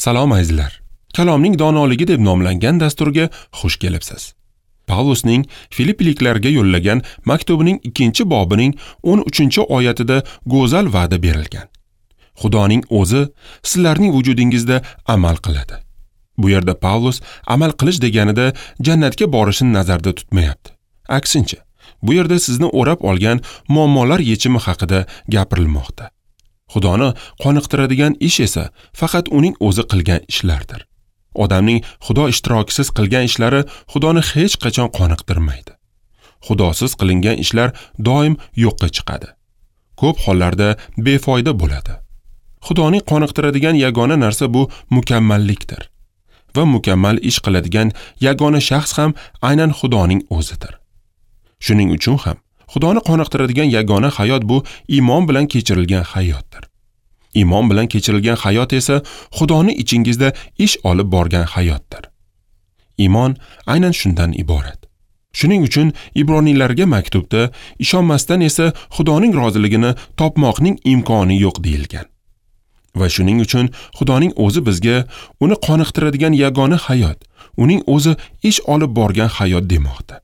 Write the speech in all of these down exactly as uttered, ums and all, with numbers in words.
Salom azizlar. Kalomning donoligi deb nomlangan dasturga xush kelibsiz. Pavlusning Filipliklarga yo'llagan maktubining ikkinchi bobining o'n uchinchi oyatida go'zal va'da berilgan. Xudoning o'zi sizlarning vujudingizda amal qiladi. Bu yerda Pavlus amal qilish deganida jannatga borishni nazarda tutmayapti. Aksincha, bu yerda sizni o'rab olgan muammolar yechimi haqida gapirilmoqda. Xudoni qoniqtiradigan ish esa faqat uning o'zi qilgan ishlardir. Odamning Xudo ishtirokisiz qilgan ishlari Xudoni hech qachon qoniqtirmaydi. Xudosiz qilingan ishlar doim yo'qqa chiqadi. Ko'p hollarda befoyda bo'ladi. Xudoning qoniqtiradigan yagona narsa bu mukammallikdir. Va mukammal ish qiladigan yagona shaxs ham aynan Xudoning o'zidir. Shuning uchun ham Xudoni qoniqtiradigan yagona hayot bu iymon bilan kechirilgan hayotdir. Iymon bilan kechirilgan hayot esa Xudoni ichingizda ish olib borgan hayotdir. Iymon aynan shundan iborat. Shuning uchun Ibroniylarga maktubda ishonmasdan esa Xudoning roziligini topmoqning imkoni yo'q deyilgan. Va shuning uchun Xudoning o'zi bizga uni qoniqtiradigan yagona hayot, uning o'zi ish olib borgan hayot demoqda.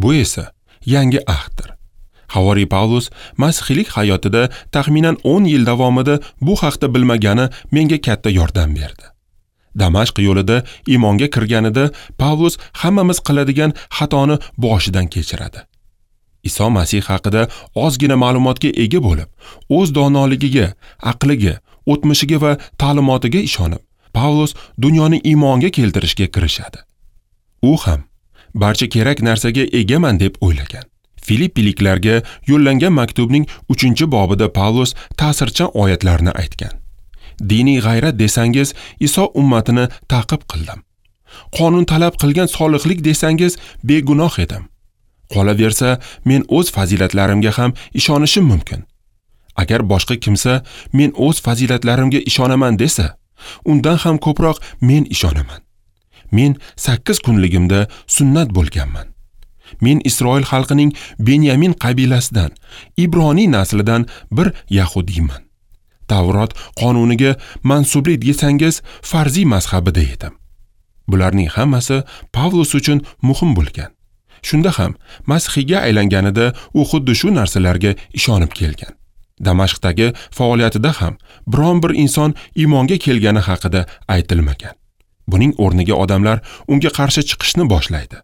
Bu esa yangi ahddir. Havoriy Pavlus masihiylik hayotida taxminan o'n yil davomida bu haqda bilmagani menga katta yordam berdi. Damashq yo'lida iymonga kirganida Pavlus hammamiz qiladigan xatoni boshidan kechiradi. Iso Masih haqida ozgina ma'lumotga ega bo'lib, o'z donoligiga, aqliga, o'tmishiga va ta'limotiga ishonib, Pavlus dunyoni iymonga keltirishga kirishadi. U ham barcha kerak narsaga egaman deb o'ylagan. Filippiliklarga yo'llangan maktubning uchinchi bobida Pavlus ta'sirchan oyatlarni aytgan. Diniy g'ayrat desangiz, Iso ummatini ta'qib qildim. Qonun talab qilgan solihlik desangiz, begunoh edim. Qolaversa, men o'z fazilatlarimga ham ishonishim mumkin. Agar boshqa kimsa men o'z fazilatlarimga ishonaman desa, undan ham ko'proq men ishonaman. Men sakkiz kunligimda sunnat bo'lganman. Men Isroil xalqining Benyamin qabilasidan, Ibroniy naslidan bir yahudiyman. Tavrot qonuniga mansublik desangiz, farziy mazhabida edim. Bularning hammasi Pavlus uchun muhim bo'lgan. Shunda ham masihiyga aylanganida u xuddi shu narsalarga ishonib kelgan. Damashqdagi faoliyatida ham biron bir inson iymonga kelgani haqida aytilmagan. Buning o'rniga odamlar unga qarshi chiqishni boshlaydi.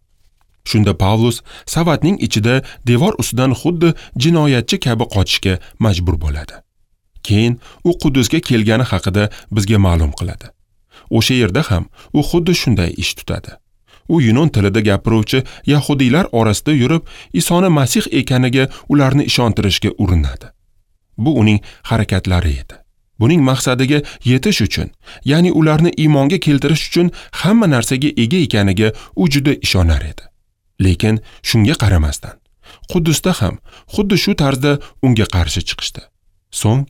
Shunda Pavlus savatning ichida devor ustidan xuddi jinoyatchi kabi qochishga majbur bo'ladi. Keyin u Quddusga kelgani haqida bizga ma'lum qiladi. O'sha yerda ham u xuddi shunday ish tutadi. U yunon tilida gapiruvchi yahudiylar orasida yurib, Isoni Masih ekaniga ularni ishontirishga urinadi. Bu uning harakatlari edi. Buning maqsadiga yetish uchun, ya'ni ularni iymonga keltirish uchun hamma narsaga ega ekaniga u juda ishonar edi. Lekin shunga qaramasdan, Quddusda ham xuddi shu tarzda unga qarshi chiqishdi. So'ng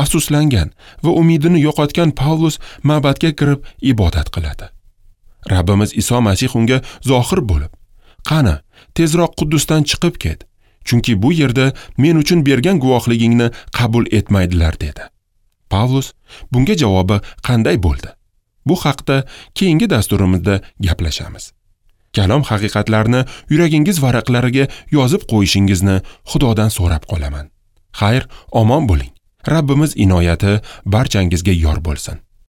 afsuslangan va umidini yo'qotgan Pavlus ma'badga kirib ibodat qiladi. Rabbimiz Iso Masih unga zohir bo'lib, "Qani, tezroq Quddusdan chiqib ket, chunki bu yerda men uchun bergan guvohligingni qabul etmaydilar" dedi. Pavlus bunga javobi qanday bo'ldi? Bu haqda keyingi dasturimizda gaplashamiz. Kalom haqiqatlarini yuragingiz varaqlariga yozib qo'yishingizni Xudodan so'rab qolaman. Xayr, omon bo'ling. Rabbimiz inoyati barchangizga yor bo'lsin.